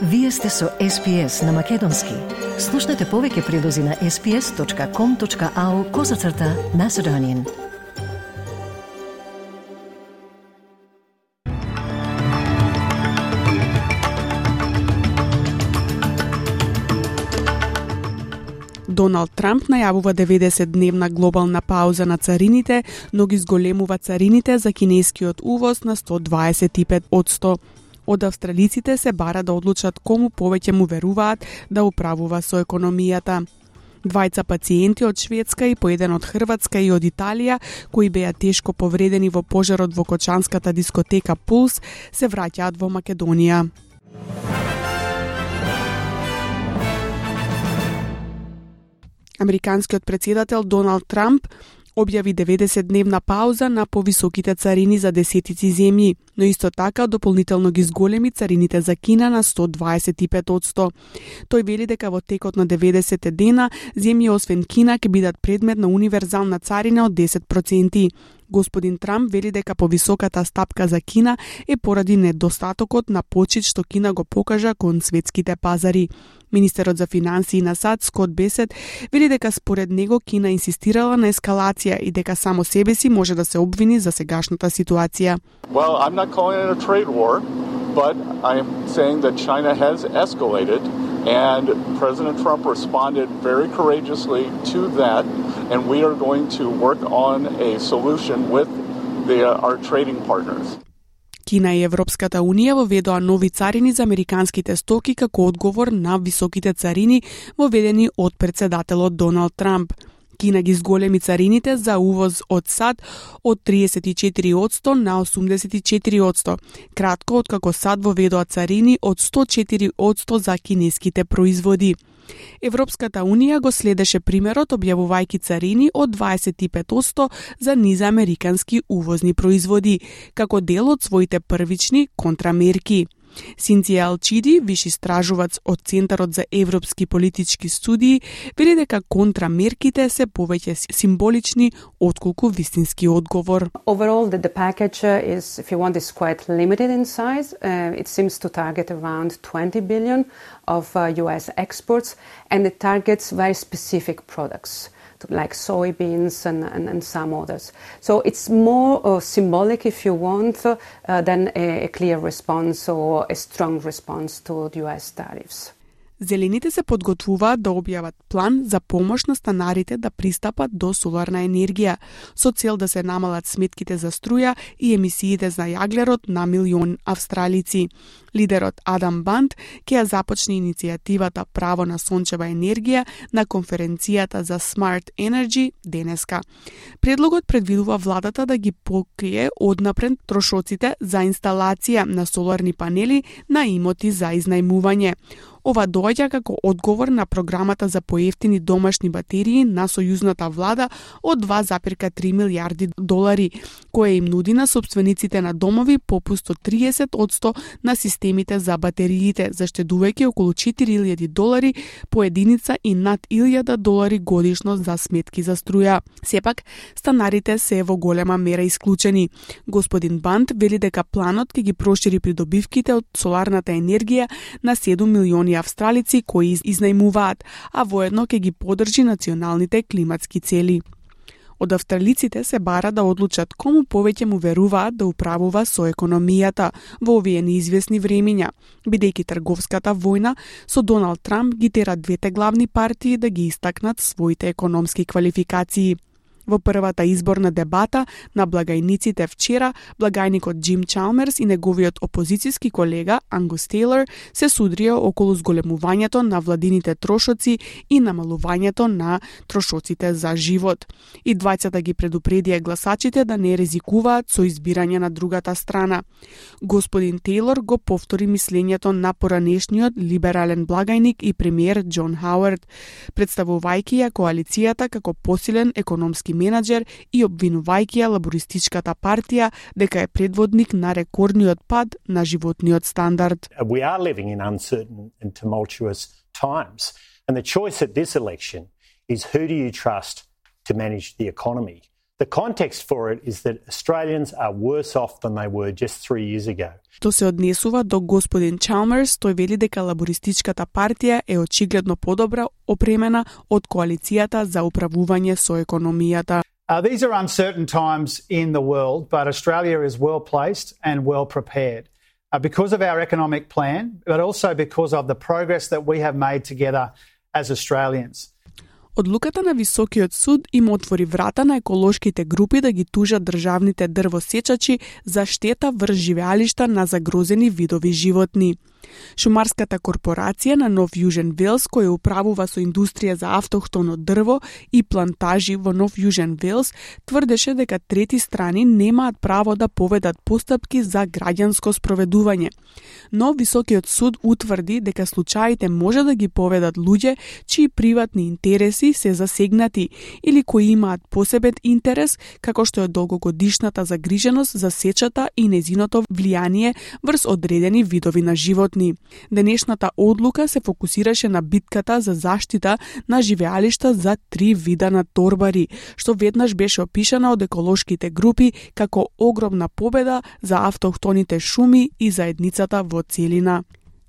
Вие сте со SPS на Македонски. Слушнете повеќе прилози на sps.com.au/Macedonian. Доналд Трамп најавува 90-дневна глобална пауза на царините, но ги зголемува царините за кинескиот увоз на 125%. Од австралиците се бара да одлучат кому повеќе му веруваат да управува со економијата. Двајца пациенти од Шведска и по еден од Хрватска и од Италија, кои беа тешко повредени во пожарот во кочанската дискотека Пулс, се враќаат во Македонија. Американскиот претседател Доналд Трамп објави 90-дневна пауза на повисоките царини за десетици земји, но исто така дополнително ги зголеми царините за Кина на 125%. Тој вели дека во текот на 90 дена земји освен Кина ќе бидат предмет на универзална царина од 10%. Господин Трамп вели дека повисоката стапка за Кина е поради недостатокот на почит што Кина го покажа кон светските пазари. Министерот за финансии на САД Скот Бесет вели дека според него Кина инсистирала на ескалација и дека само себе си може да се обвини за сегашната ситуација. Well, I'm not calling it a trade war, but I'm saying that China has escalated and President Trump responded very courageously to that and we are going to work on a solution with our trading partners. Кина и Европската Унија воведоа нови царини за американските стоки како одговор на високите царини воведени од претседателот Доналд Трамп. Кина ги зголеми царините за увоз од САД од 34% на 84%, кратко откако САД воведоа царини од 104% за кинеските производи. Европската Унија го следеше примерот објавувајќи царини од 25% за низамерикански увозни производи, како дел од своите првични контрамерки. Синција Алчиди, виш истражувач од Центарот за европски политички студии, вели дека контрамерките се повеќе символични отколку вистински одговор. Overall, the package is, if you want, is quite limited in size. It seems to target around 20 billion of US exports, and it targets very specific products, like soybeans and some others. So it's more symbolic, if you want, than a clear response or a strong response to the US tariffs. Зелените се подготвуваат да објават план за помош на станарите да пристапат до соларна енергија, со цел да се намалат сметките за струја и емисиите за јаглерод на милион австралици. Лидерот Адам Бант ќе ја започне иницијативата Право на сончева енергија на конференцијата за Smart Energy денеска. Предлогот предвидува владата да ги покрие однапред трошоците за инсталација на соларни панели на имоти за изнајмување. Ова доаѓа како одговор на програмата за поевтини домашни батерии на сојузната влада од 2,3 милиарди долари, која им нуди на сопствениците на домови попуст од 30% на системите за батериите, заштедувајќи околу 4.000 долари по единица и над 1.000 долари годишно за сметки за струја. Сепак, станарите се во голема мера исклучени. Господин Бант вели дека планот ќе ги прошири придобивките од соларната енергија на 7 милиони австралици кои изнајмуваат, а воедно ќе ги поддржи националните климатски цели. Од австралиците се бара да одлучат кому повеќе му веруваат да управува со економијата во овие неизвестни времиња, бидејќи трговската војна со Доналд Трамп ги тера двете главни партии да ги истакнат своите економски квалификации. Во првата изборна дебата на благајниците вчера, благајникот Џим Чалмерс и неговиот опозицијски колега Ангус Тейлор се судрија околу зголемувањето на владините трошоци и намалувањето на трошоците за живот. И двајцата ги предупредија гласачите да не ризикуваат со избирање на другата страна. Господин Тейлор го повтори мислењето на поранешниот либерален благајник и премиер Џон Хауард, представувајќи ја коалицијата како посилен економски менаџер и обвинувајќи ја лабористичката партија дека е предводник на рекордниот пад на животниот стандард. We are living in uncertain and tumultuous times, and the choice at this election is who do you trust to manage the economy? The context for it is that Australians are worse off than they were just 3 years ago. Тоа се однесува до господин Чалмерс, тој вели дека лабористичката партија е очигледно подобра опремена од коалицијата за управување со економијата. These are uncertain times in the world, but Australia is well placed and well prepared because of our economic plan, but also because of the progress that we have made together as Australians. Одлуката на Високиот суд им отвори врата на еколошките групи да ги тужат државните дрвосечачи за штета врз живеалишта на загрозени видови животни. Шумарската корпорација на Нов Јужен Велс, која управува со индустрија за автохтоно дрво и плантажи во Нов Јужен Велс, тврдеше дека трети страни немаат право да поведат постапки за граѓанско спроведување. Но Високиот суд утврди дека случаите може да ги поведат луѓе чии приватни интереси се засегнати или кои имаат посебен интерес, како што е долгогодишната загриженост за сечата и нејзиното влијание врз одредени видови на животни. Денешната одлука се фокусираше на битката за заштита на живеалишта за 3 вида на торбари, што веднаш беше опишана од еколошките групи како огромна победа за автохтоните шуми и заедницата во целина.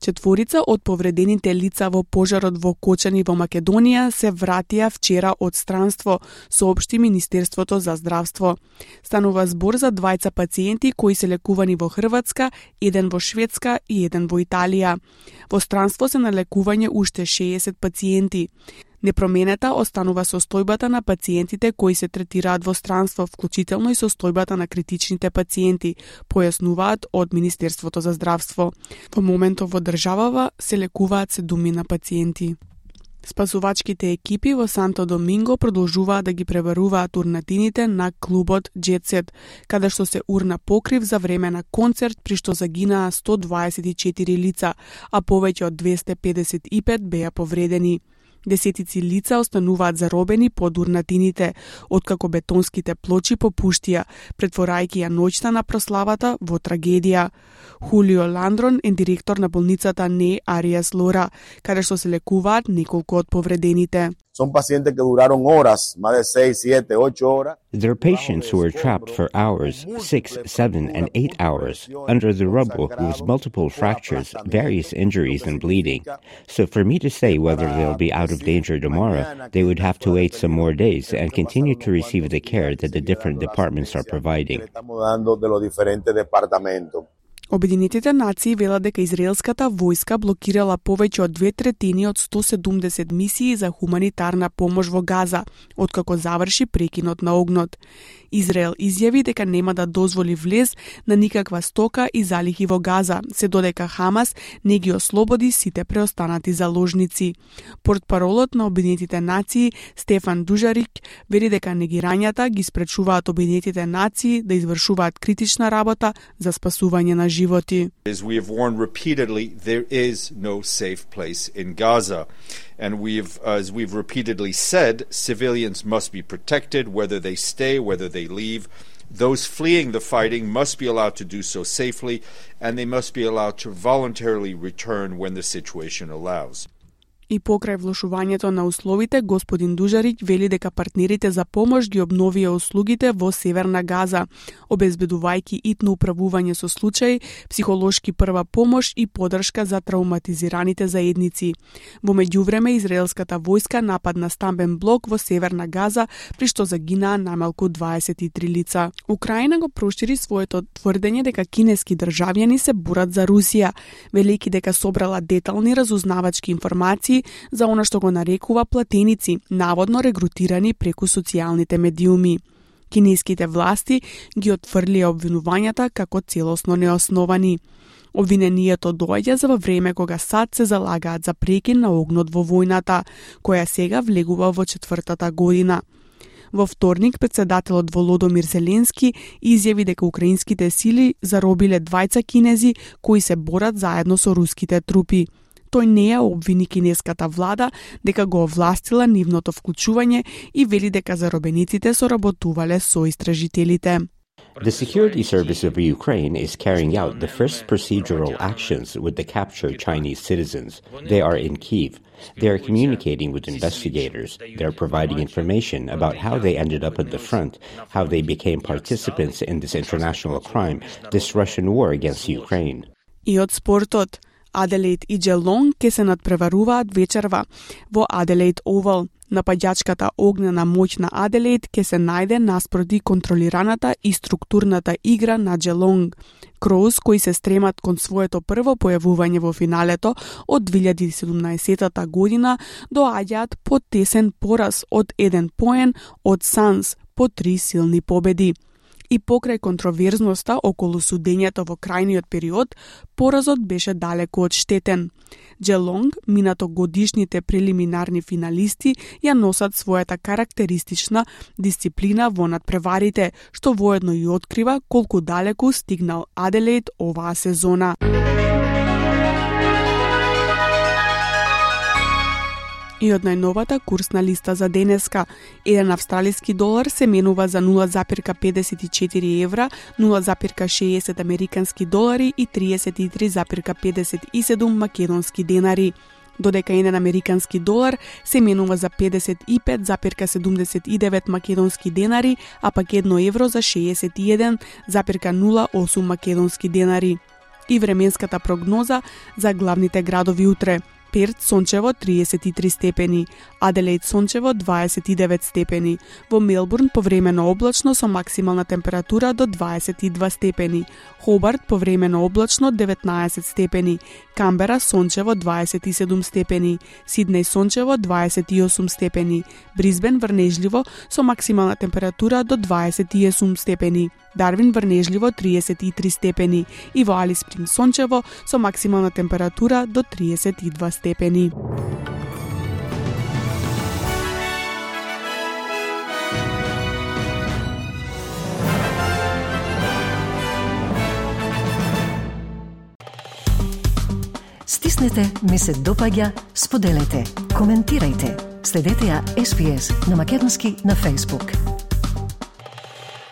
4 од повредените лица во пожарот во Кочани во Македонија се вратија вчера од странство, соопшти Министерството за здравство. Станува збор за 2 пациенти кои се лекувани во Хрватска, 1 во Шведска и 1 во Италија. Во странство се на лекување уште 60 пациенти. Непроменета останува состојбата на пациентите кои се третираат во странство, вклучително и состојбата на критичните пациенти, појаснуваат од Министерството за здравство. Во моментов во државава се лекуваат 7 пациенти. Спасувачките екипи во Санто Доминго продолжуваат да ги пребаруваат урнатините на клубот Jet Set, каде што се урна покрив за време на концерт при што загинаа 124 лица, а повеќе од 255 беа повредени. Десетици лица остануваат заробени под урнатините, откако бетонските плочи попуштија, претворајќи ја ноќта на прославата во трагедија. Хулио Ландрон е директор на болницата Не Ариас Лора, каде што се лекуваат неколку од повредените. Son pacientes que duraron horas, más de 6, 7, 8 horas. There are patients who were trapped for hours, 6, 7, and 8 hours, under the rubble with multiple fractures, various injuries, and bleeding. So for me to say whether they'll be out of danger tomorrow, they would have to wait some more days and continue to receive the care that the different departments are providing. Обединетите нации велат дека израелската војска блокирала повеќе од 2/3 од 170 мисии за хуманитарна помош во Газа, откако заврши прекинот на огнот. Израел изјави дека нема да дозволи влез на никаква стока и залихи во Газа, се додека Хамас не ги ослободи сите преостанати заложници. Портпаролот на Обединетите нации Стефан Дужарик вели дека негирањата ги спречуваат Обединетите нации да извршуваат критична работа за спасување на животи. As we have warned repeatedly, there is no safe place in Gaza. And as we've repeatedly said, civilians must be protected, whether they stay, whether they leave. Those fleeing the fighting must be allowed to do so safely, and they must be allowed to voluntarily return when the situation allows. И покрај влошувањето на условите, господин Дужарич вели дека партнерите за помош ги обновија услугите во Северна Газа, обезбедувајќи итно управување со случаи, психолошки прва помош и подршка за травматизираните заедници. Во меѓувреме, израелската војска нападна стамбен блок во Северна Газа, при што загинаа најмалку 23 лица. Украина го прошири своето тврдење дека кинески државјани се борат за Русија, велејќи дека собрала детални разузнавачки информации за она што го нарекува платеници, наводно регрутирани преку социјалните медиуми. Кинеските власти ги отфрлија обвинувањата како целосно неосновани. Обвинението доаѓа за во време кога САД се залагаат за прекин на огнот во војната, која сега влегува во 4-та година. Во вторник, председателот Володомир Зеленски изјави дека украинските сили заробиле 2 кинези кои се борат заедно со руските трупи. Тој не ја обвини кинеската влада дека го овластила нивното вклучување и вели дека заробениците соработувале со истражителите. The security service of Ukraine is carrying out the first procedural actions with the captured Chinese citizens. They are in Kyiv. They are communicating with investigators. They are providing information about how they ended up at the front, how they became participants in this international crime, this Russian war against Ukraine. И од спортот, Аделаид и Джелонг ке се надпреваруваат вечерва во Аделаид Овал. Напаѓачката огнена моќ на Аделаид ке се најде наспроти контролираната и структурната игра на Джелонг. Кроуз, кои се стремат кон своето прво појавување во финалето од 2017 година, доаѓаат по тесен пораз од 1 поен од Санс по 3 силни победи. И покрај контроверзноста околу судењето во крајниот период, поразот беше далеку од штетен. Джелонг, минато годишните прелиминарни финалисти, ја носат својата карактеристична дисциплина во надпреварите, што воедно и открива колку далеку стигнал Аделаид оваа сезона. И од најновата курсна листа за денеска, 1 австралиски долар се менува за 0,54 евра, 0,60 американски долари и 33,57 македонски денари. Додека 1 американски долар се менува за 55,79 македонски денари, а пак 1 евро за 61,08 македонски денари. И временската прогноза за главните градови утре. Перт сончево 33 степени, Аделаид сончево 29 степени, во Мелбурн повремено облачно со максимална температура до 22 степени, Хобарт повремено облачно 19 степени, Камбера сончево 27 степени, Сиднеј сончево 28 степени, Брисбен врнежливо со максимална температура до 28 степени, Дарвин врнежливо 33 степени и во Алис Спринг сончево со максимална температура до 32 степени. Стиснете, ми се допаѓа, споделете, коментирајте. Следете ја SPS на Македонски на Facebook.